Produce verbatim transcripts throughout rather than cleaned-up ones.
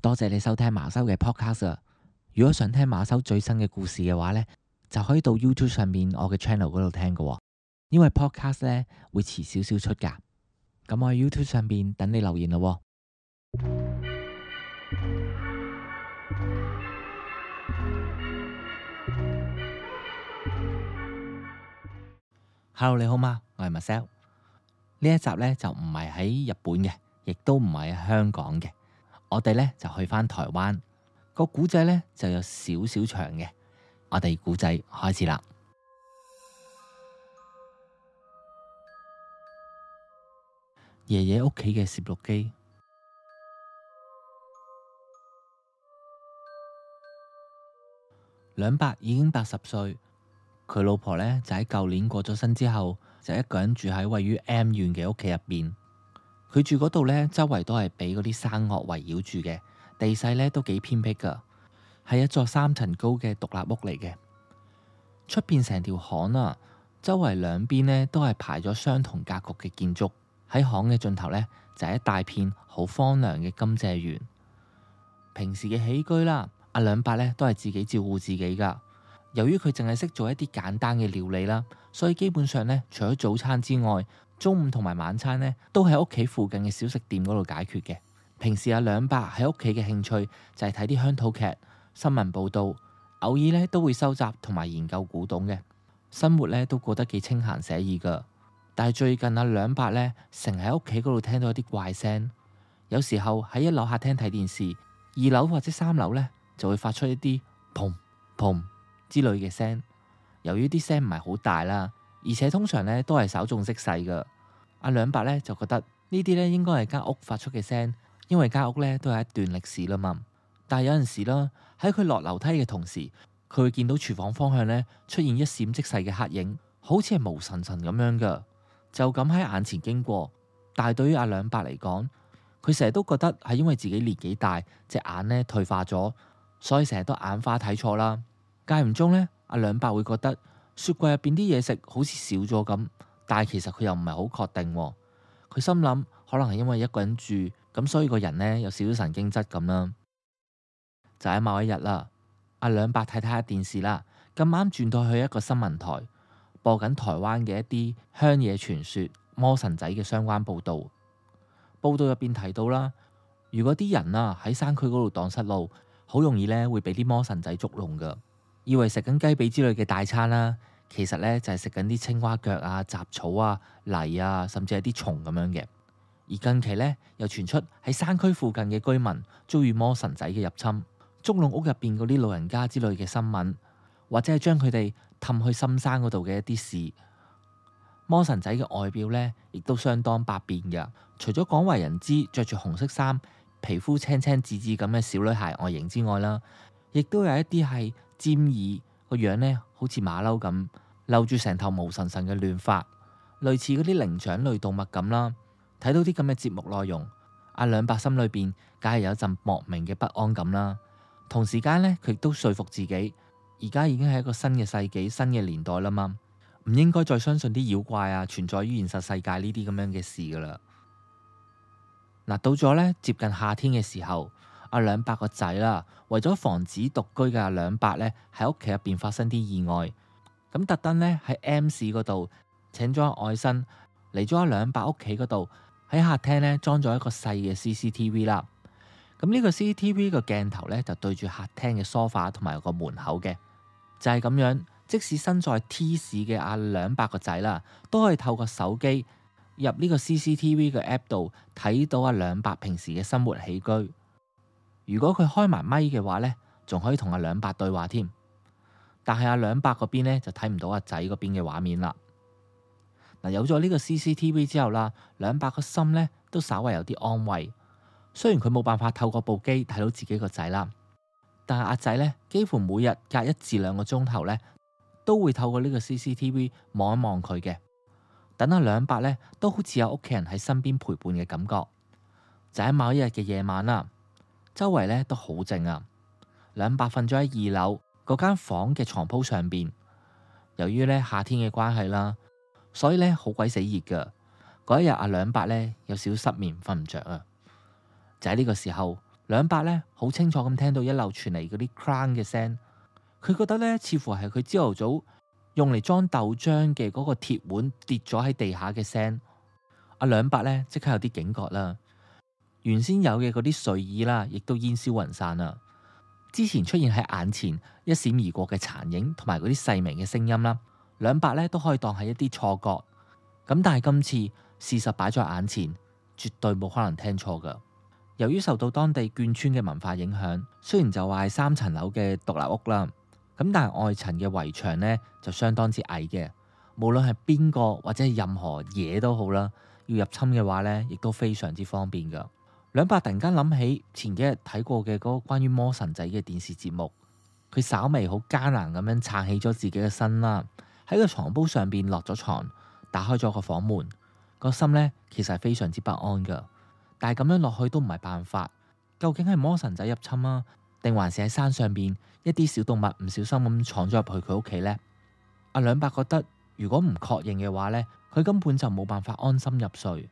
多謝你收聽馬修嘅 podcast 啊！如果想聽馬修最新嘅故事嘅話呢，就可以到 YouTube 上面我嘅 channel 嗰度聽㗎喎。因為 podcast 呢會遲少少出㗎。咁我喺 YouTube 上面等你留言咯喎。Hello， 你好嗎？我係 Marcel。呢一集呢就唔係喺日本嘅，亦都唔係喺香港嘅。我哋呢就去返台灣。個古仔呢就有少少長嘅。我哋古仔開始啦。爺爺屋企嘅攝錄機。兩伯已經八十歲，佢老婆呢就喺舊年過咗身之後，就一個人住喺位於 M 縣嘅屋企入邊。佢住嗰度呢，周圍都係俾嗰啲山岳圍繞住嘅，地勢呢都幾偏僻噶，係一座三層高嘅獨立屋嚟嘅。出邊成條巷啊，周圍兩邊呢都係排咗相同格局嘅建築。喺巷嘅盡頭呢，就係一大片好荒涼嘅甘蔗園。平時嘅起居啦，阿兩伯呢都係自己照顧自己噶。由於佢淨係識做一啲簡單嘅料理啦，所以基本上呢，除咗早餐之外，中午同埋晚餐呢都喺屋企附近嘅小食店嗰度解決嘅。平時阿兩伯喺屋企嘅興趣就係睇啲鄉土劇、新聞報道，偶爾呢都會收集同埋研究古董嘅。生活呢都過得幾清閒寫意噶。但係最近阿兩伯呢，成日喺屋企嗰度聽到一啲怪聲，有時候喺一樓客廳睇電視，二樓或者三樓呢就會發出一啲砰砰之類嘅聲。由於啲聲唔係好大啦，而且通常呢都係稍縱即逝噶。阿兩伯呢就覺得呢啲呢應該係間屋發出嘅聲，因為間屋呢都有一段歷史啦嘛。但係有陣時啦，喺佢落樓梯嘅同時，佢會見到廚房方向呢出現一閃即逝嘅黑影，好似係毛神神咁樣噶。就咁喺眼前經過，但係對於阿兩伯嚟講，佢成日都覺得係因為自己年紀大，隻眼呢退化咗，所以成日都眼花睇錯啦。間唔中呢，阿兩伯會覺得雪櫃入邊啲嘢食好似少咗咁，但係其實佢又唔係好確定。佢心諗可能係因為一個人住，咁所以個人呢有少少神經質咁啦。就喺某一日啦，阿兩伯睇睇下電視啦，咁啱轉到去一個新聞台，播緊台灣嘅一啲鄉野傳說、魔神仔嘅相關報導。報道入邊提到啦，如果啲人啊喺山區嗰度蕩失路，好容易呢會俾啲魔神仔捉弄噶。以為食緊雞髀之類嘅大餐啦，其實呢就係食緊啲青蛙腳啊、雜草啊、泥啊，甚至係啲蟲咁樣嘅。而近期呢，又傳出喺山區附近嘅居民遭遇魔神仔嘅入侵，捉弄屋入邊嗰啲老人家之類嘅新聞，或者係將佢哋氹去深山嗰度嘅一啲事。魔神仔嘅外表呢，亦都相當百變嘅。除咗廣為人知着住紅色衫、皮膚青青紫紫咁嘅小女孩外形之外啦，亦都有一啲係尖耳個樣呢，好似馬騮咁，留住成頭毛神神嘅亂髮，類似嗰啲靈長類動物咁啦。睇到啲咁嘅節目內容，阿兩伯心裏邊梗係有一陣莫名嘅不安感啦。同時間呢，佢亦都說服自己，而家已經係一個新嘅世紀、新嘅年代啦嘛，唔應該再相信啲妖怪啊存在於現實世界呢啲咁樣嘅事噶啦。嗱，到咗呢接近夏天嘅時候，阿兩伯個仔啦，為咗防止獨居嘅阿兩伯呢喺屋企入邊發生啲意外，咁特登呢喺 M 市嗰度請咗阿外甥嚟咗阿兩伯屋企嗰度，喺客廳呢裝咗一個細嘅 C C T V 啦。咁呢個 C C T V 個鏡頭呢，就對住客廳嘅梳化同埋個門口嘅，就係咁樣。即使身在 T 市嘅阿兩伯個仔啦，都可以透過手機入呢個 C C T V 嘅 app 度睇到阿兩伯平時嘅生活起居。如果佢開埋咪嘅話呢，仲可以同阿兩伯對話添。但係阿兩伯嗰邊呢，就睇唔到阿仔嗰邊嘅畫面啦。嗱，有咗呢個 C C T V 之後啦，兩伯個心呢都稍為有啲安慰。雖然佢冇辦法透過部機睇到自己個仔啦，但係阿仔呢，幾乎每日隔一至兩個鐘頭呢，都會透過呢個 C C T V 望一望佢嘅，等阿兩伯呢都好似有屋企人喺身邊陪伴嘅感覺。就喺某一日嘅夜晚啦，周圍呢都好靜啊。兩伯瞓咗喺二樓嗰間房嘅床鋪上邊。由於呢夏天嘅關係啦，所以呢好鬼死熱噶。嗰一日阿兩伯呢有少少失眠，瞓唔着啊。就喺呢個時候，兩伯呢好清楚咁聽到一路傳嚟嗰啲 clang 嘅聲，佢覺得呢似乎係佢朝頭早用嚟裝豆漿嘅嗰個鐵碗跌咗喺地下嘅聲。阿兩伯呢即刻有啲警覺啦，原先有嘅嗰啲睡意啦，亦都煙消雲散啦。之前出現喺眼前一閃而過嘅殘影同埋嗰啲細微嘅聲音啦，兩伯呢都可以當係一啲錯覺。咁但係今次事實擺在眼前，絕對冇可能聽錯噶。由於受到當地眷村嘅文化影響，雖然就話係三層樓嘅獨立屋啦，咁但係外層嘅圍牆呢就相當之矮嘅。無論係邊個或者係任何嘢都好啦，要入侵嘅話呢，亦都非常之方便噶。兩伯突然間諗起前幾日睇過嘅嗰個關於魔神仔嘅電視節目，佢稍微好艱難咁樣撐起咗自己嘅身啦，喺個床鋪上邊落咗床，打開咗個房門，個心呢其實係非常之不安噶。但係咁樣落去都唔係辦法，究竟係魔神仔入侵啊，定還是喺山上邊一啲小動物唔小心咁闖咗入去佢屋企呢？阿兩伯覺得如果唔確認嘅話呢，佢根本就冇辦法安心入睡，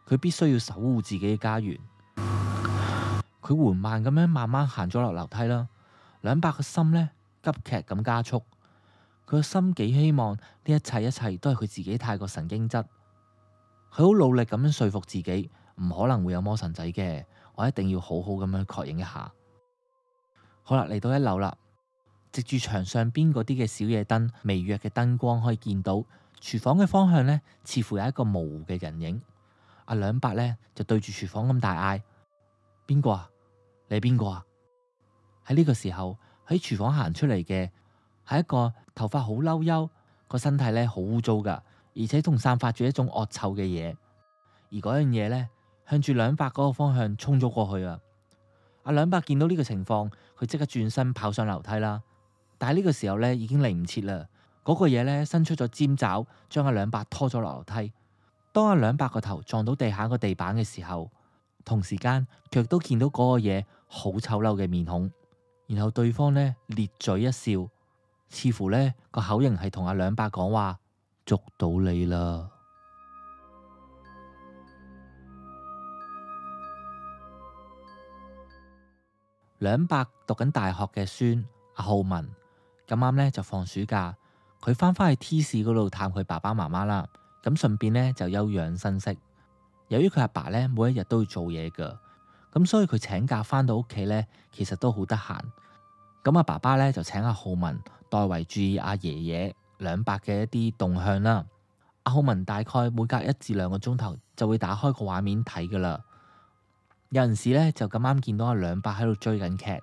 佢必須要守護自己嘅家園。佢緩慢咁樣慢慢行咗落樓梯啦，兩伯個心呢急劇咁加速，佢個心幾希望呢一切一切都係佢自己太過神經質，佢好努力咁樣說服自己。唔可能會有魔神仔嘅，我一定要好好咁樣確認一下。好啦，嚟到一樓啦，藉住牆上邊嗰啲嘅小夜燈，微弱嘅燈光可以見到廚房嘅方向呢，似乎有一個模糊嘅人影。阿兩伯呢，就對住廚房咁大嗌：邊個啊？你係邊個啊？喺呢個時候喺廚房行出嚟嘅係一個頭髮好嬲悠，個身體呢好污糟噶，而且仲散發住一種惡臭嘅嘢。而嗰樣嘢呢，向住兩伯嗰個方向衝咗過去啊！阿兩伯見到呢個情況，佢即刻轉身跑上樓梯啦。但係呢個時候呢，已經嚟唔切啦。嗰個嘢呢，伸出咗尖爪，將阿兩伯拖咗落樓梯。當阿兩伯個頭撞到地下個地板嘅時候，同時間佢亦都見到嗰個嘢好醜陋嘅面孔。然後對方呢，咧嘴一笑，似乎呢個口型係同阿兩伯講話：捉到你啦！兩伯讀緊大學嘅孫阿浩文咁啱呢就放暑假，佢翻返去 T 市嗰度探佢爸爸媽媽啦。咁順便呢就休養生息。由於佢阿爸呢每一日都要做嘢噶，咁所以佢請假翻到屋企呢，其實都好得閒。咁阿爸爸呢就請阿浩文代為注意阿爺爺兩伯嘅一啲動向啦。阿浩文大概每隔一至兩個鐘頭就會打開個畫面睇噶啦。有陣時咧就咁啱見到阿兩伯喺度追緊劇，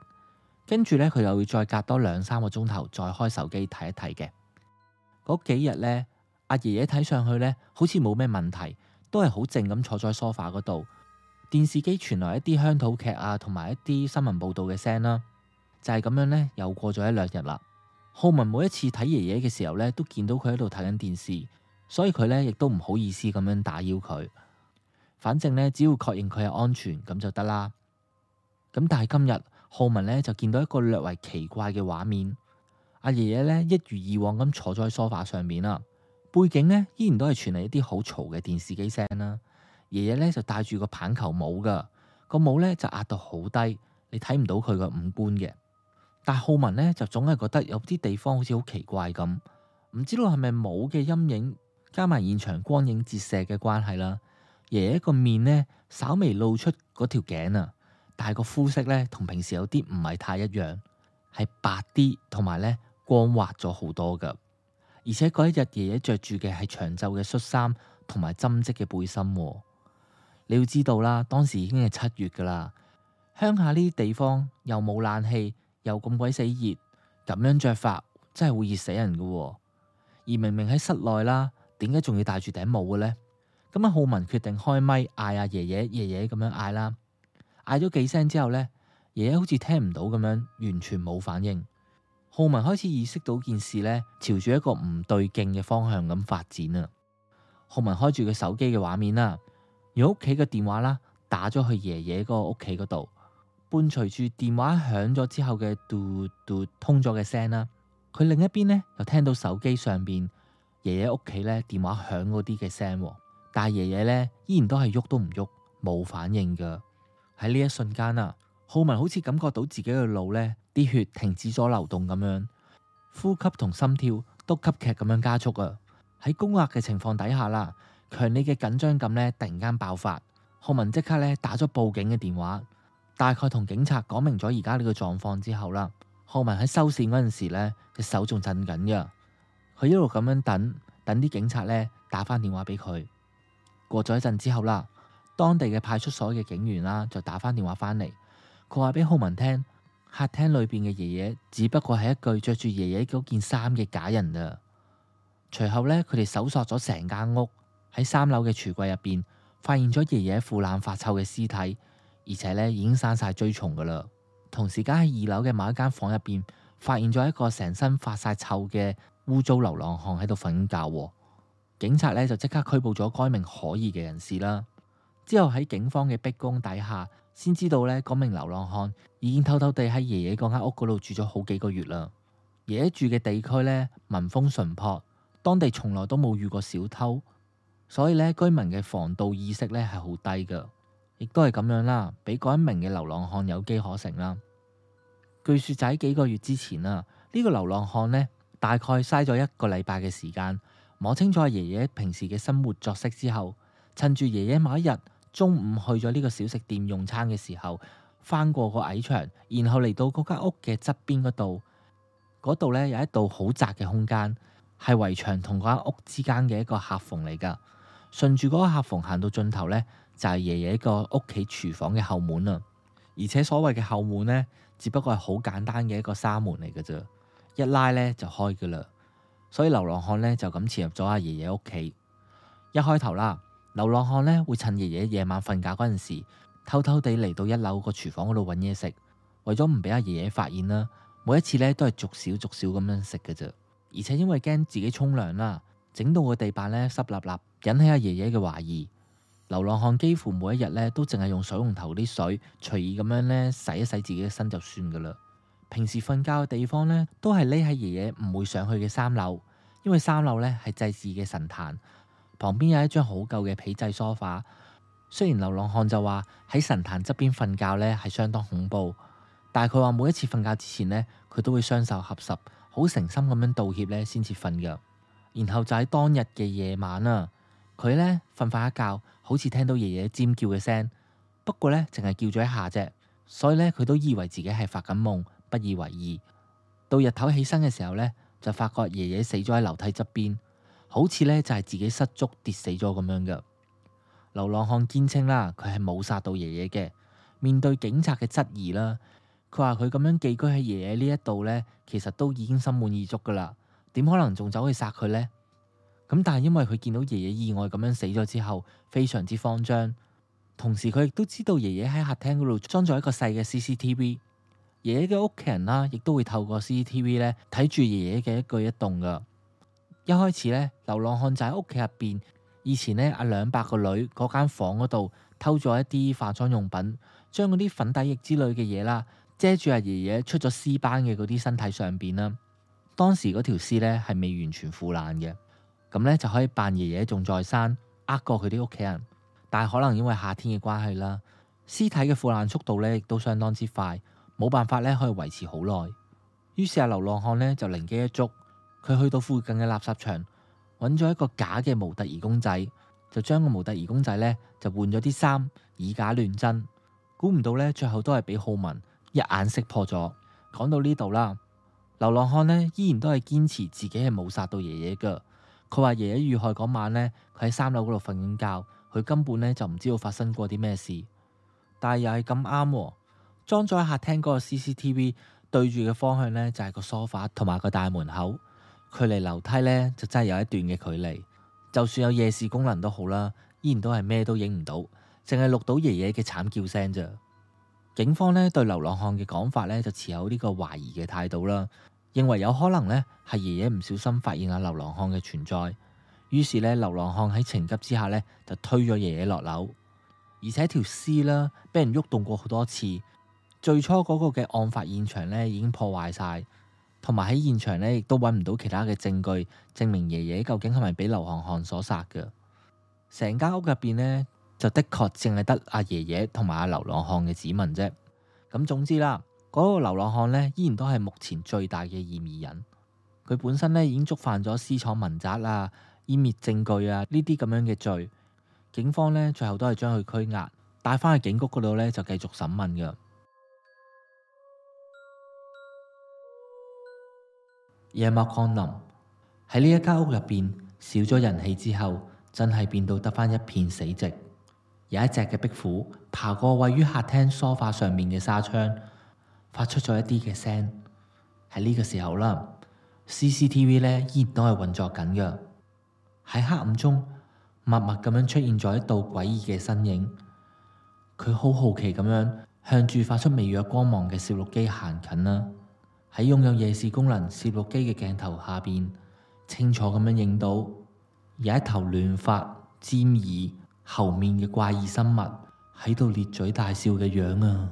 跟住咧佢又會再隔多兩三個鐘頭再開手機睇一睇嘅。嗰幾日咧，阿爺爺睇上去咧好似冇咩問題，都係好靜咁坐在梳化嗰度。電視機傳來一啲鄉土劇啊，同埋一啲新聞報道嘅聲啦，就係咁樣咧，又過咗一兩日啦。浩文每一次睇爺爺嘅時候咧，都見到佢喺度睇緊電視，所以佢咧亦都唔好意思咁樣打擾佢。反正咧，只要確認佢係安全咁就得啦。咁但係今日浩文咧就見到一個略為奇怪嘅畫面。阿爺爺咧一如以往咁坐咗喺梳化上面啦，背景咧依然都係傳嚟一啲好嘈嘅電視機聲啦。爺爺咧就戴住個棒球帽噶，個帽咧就壓到好低，你睇唔到佢個五官嘅。但係浩文咧就總係覺得有啲地方好似好奇怪咁，唔知道係咪帽嘅陰影加埋現場光影折射嘅關係啦。爺爺個面呢，稍微露出嗰條頸啊，但係個膚色呢，同平時有啲唔係太一樣，係白啲，同埋呢光滑咗好多噶。而且嗰一日爺爺着住嘅係長袖嘅恤衫同埋針織嘅背心。你要知道啦，當時已經係七月噶啦，鄉下呢啲地方又冇冷氣，又咁鬼死熱，咁樣着法真係會熱死人噶。而明明喺室內啦，點解仲要戴住頂帽嘅呢？咁阿浩文決定開咪嗌阿爺爺爺爺咁樣嗌啦，嗌咗幾聲之後呢，爺爺好似聽唔到咁樣，完全冇反應。浩文開始意識到件事呢，朝住一個唔對勁嘅方向咁發展啊。浩文開住個手機嘅畫面啦，用屋企嘅電話啦打咗去爺爺嗰個屋企嗰度，伴隨住電話響咗之後嘅嘟嘟通咗嘅聲啦，佢另一邊呢又聽到手機上邊爺爺屋企呢電話響嗰啲嘅聲。但係爺爺咧依然都係喐都唔喐，冇反應噶。喺呢一瞬間啊，浩文好似感覺到自己嘅腦呢啲血停止咗流動咁樣，呼吸同心跳都急劇咁樣加速啊！喺高壓嘅情況底下啦，強烈嘅緊張感呢突然間爆發，浩文即刻呢打咗報警嘅電話，大概同警察講明咗而家呢個狀況之後啦，浩文喺收線嗰陣時呢，隻手仲震緊㗎，佢一路咁樣等，等啲警察呢打翻電話俾佢。過咗一陣之後啦，當地嘅派出所嘅警員啦就打翻電話翻嚟。佢話俾浩文聽，客廳裏邊嘅爺爺只不過係一具着住爺爺嗰件衫嘅假人啊。隨後呢，佢哋搜索咗成間屋，喺三樓嘅櫥櫃入邊發現咗爺爺腐爛發臭嘅屍體，而且呢已經生晒蛆蟲噶啦。同時間喺二樓嘅某一間房入邊發現咗一個成身發晒臭嘅污糟流浪漢喺度瞓覺。警察呢就即刻拘捕咗該名可疑嘅人士啦。之後喺警方嘅逼供底下，先知道呢嗰名流浪漢已經偷偷地喺爺爺嗰間屋嗰度住咗好幾個月啦。爺爺住嘅地區呢，民風淳樸，當地從來都冇遇過小偷，所以呢居民嘅防盜意識呢係好低噶，亦都係咁樣啦，俾嗰一名嘅流浪漢有機可乘啦。據說就喺幾個月之前啊，呢個流浪漢呢大概嘥咗一個禮拜嘅時間，摸清楚爺爺平時嘅生活作息之後，趁住爺爺某一日中午去咗呢個小食店用餐嘅時候，翻過個矮牆，然後嚟到嗰間屋嘅側邊嗰度，嗰度呢有一道好窄嘅空間，係圍牆同嗰間屋之間嘅一個客縫嚟噶。順住嗰個客縫行到盡頭呢，就係爺爺個屋企廚房嘅後門啦。而且所謂嘅後門呢，只不過係好簡單嘅一個紗門嚟噶啫，一拉呢就開噶啦。所以流浪漢呢，就咁潛入咗阿爺爺屋企。一開頭啦，流浪漢呢會趁爺爺夜晚瞓覺嗰陣時，偷偷地嚟到一樓個廚房嗰度揾嘢食，為咗唔俾阿爺爺發現啦，每一次呢都係逐少逐少咁樣食嘅啫。而且因為驚自己沖涼啦，整到個地板呢濕立立，引起阿爺爺嘅懷疑。流浪漢幾乎每一日呢都淨係用水龍頭啲水隨意咁樣呢洗一洗自己嘅身就算噶啦。平時瞓覺嘅地方呢，都係匿喺爺爺唔會上去嘅三樓，因為三樓呢係祭祀嘅神壇，旁邊有一張好舊嘅皮製梳化。雖然流浪漢就話喺神壇側邊瞓覺呢係相當恐怖，但係佢話每一次瞓覺之前呢，佢都會雙手合十，好誠心咁樣道歉呢先至瞓噶。然後就喺當日嘅夜晚啊，佢呢瞓瞓一覺，好似聽到爺爺尖叫嘅聲，不過呢淨係叫咗一下啫，所以呢，佢都以為自己係發緊夢，不以為意。到日頭起身嘅時候呢，就發覺爺爺死咗喺樓梯側邊，好似呢就係自己失足跌死咗咁樣噶。流浪漢堅稱啦，佢係冇殺到爺爺嘅。面對警察嘅質疑啦，佢話佢咁樣寄居喺爺爺呢一度呢，其實都已經心滿意足噶啦，點可能仲走去殺佢呢？咁但係因為佢見到爺爺意外咁樣死咗之後，非常之慌張，同時佢亦都知道爺爺喺客廳嗰度裝咗一個細嘅 C C T V。爺爺嘅屋企人啦，亦都會透過 C C T V 咧睇住爺爺嘅一舉一動噶。一開始咧，流浪漢就喺屋企入邊，以前咧阿兩伯個女嗰間房嗰度偷咗一啲化妝用品，將嗰啲粉底液之類嘅嘢啦遮住阿爺爺出咗屍斑嘅嗰啲身體上邊啦。當時嗰條屍咧係未完全腐爛嘅，咁咧就可以扮爺爺仲在生，呃過佢啲屋企人。但係可能因為夏天嘅關係啦，屍體嘅腐爛速度咧亦都相當之快。冇辦法咧，可以維持好耐。於是阿流浪漢呢就靈機一觸，佢去到附近嘅垃圾場，揾咗一個假嘅模特兒公仔，就將個模特兒公仔呢就換咗啲衫，以假亂真。估唔到呢，最後都係俾浩文一眼識破咗。講到呢度啦，流浪漢呢依然都係堅持自己係冇殺到爺爺噶。佢話爺爺遇害嗰晚呢，佢喺三樓嗰度瞓緊覺，佢根本呢就唔知道發生過啲咩事。但係又係咁啱。裝咗喺客廳嗰個 C C T V 對住嘅方向呢，就係個梳化同埋個大門口，距離樓梯呢，就真係有一段嘅距離。就算有夜視功能都好啦，依然都係咩都影唔到，淨係錄到爺爺嘅慘叫聲咋。警方呢對流浪漢嘅講法呢，就持有呢個懷疑嘅態度啦，認為有可能呢係爺爺唔小心發現阿流浪漢嘅存在，於是呢，流浪漢喺情急之下呢，就推咗爺爺落樓，而且條屍啦俾人喐動過好多次。最初嗰個嘅案發現場呢已經破壞晒，同埋喺現場呢亦都揾唔到其他嘅證據證明爺爺究竟係咪俾流浪漢所殺嘅。成間屋入邊呢，就的確淨係得阿爺爺同埋阿流浪漢嘅指紋啫。咁總之啦，嗰個流浪漢呢，依然都係目前最大嘅嫌疑人。佢本身呢，已經觸犯咗私闖民宅啊、湮滅證據啊呢啲咁樣嘅罪。警方呢，最後都係將佢拘押，帶翻去警局嗰度呢，就繼續審問㗎。夜幕降臨，喺呢一間屋入邊少咗人氣之後，真係變到得翻一片死寂。有一隻嘅壁虎爬過位於客廳梳化上面嘅紗窗，發出咗一啲嘅聲。喺呢個時候啦，C C T V 呢依然都係運作緊嘅。喺黑暗中，默默咁樣出現咗一道詭異嘅身影。佢好好奇咁樣向住發出微弱光芒嘅攝錄機行近啦。喺擁有夜視功能攝錄機嘅鏡頭下邊，清楚咁樣影到有一頭亂髮、尖耳、猴面嘅怪異生物喺度咧嘴大笑嘅樣啊！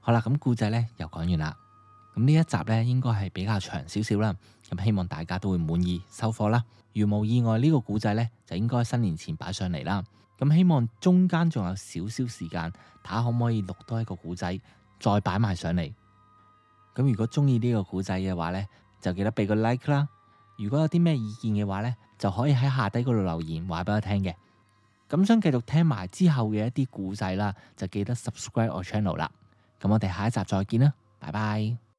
好啦，咁故仔呢又講完啦。咁呢一集呢應該係比較長少少啦。咁希望大家都會滿意收貨啦。如無意外，呢個故仔呢就應該新年前擺上嚟啦。咁希望中間仲有少少時間，睇下可唔可以錄多一個故仔，再擺埋上嚟。咁如果中意呢個故仔嘅話呢，就記得俾個 like 啦。如果有啲咩意見嘅話呢，就可以喺下底嗰度留言話俾我聽嘅。咁想繼續聽埋之後嘅一啲故仔啦，就記得 subscribe 我 channel 啦。咁我哋下一集再見啦，拜拜。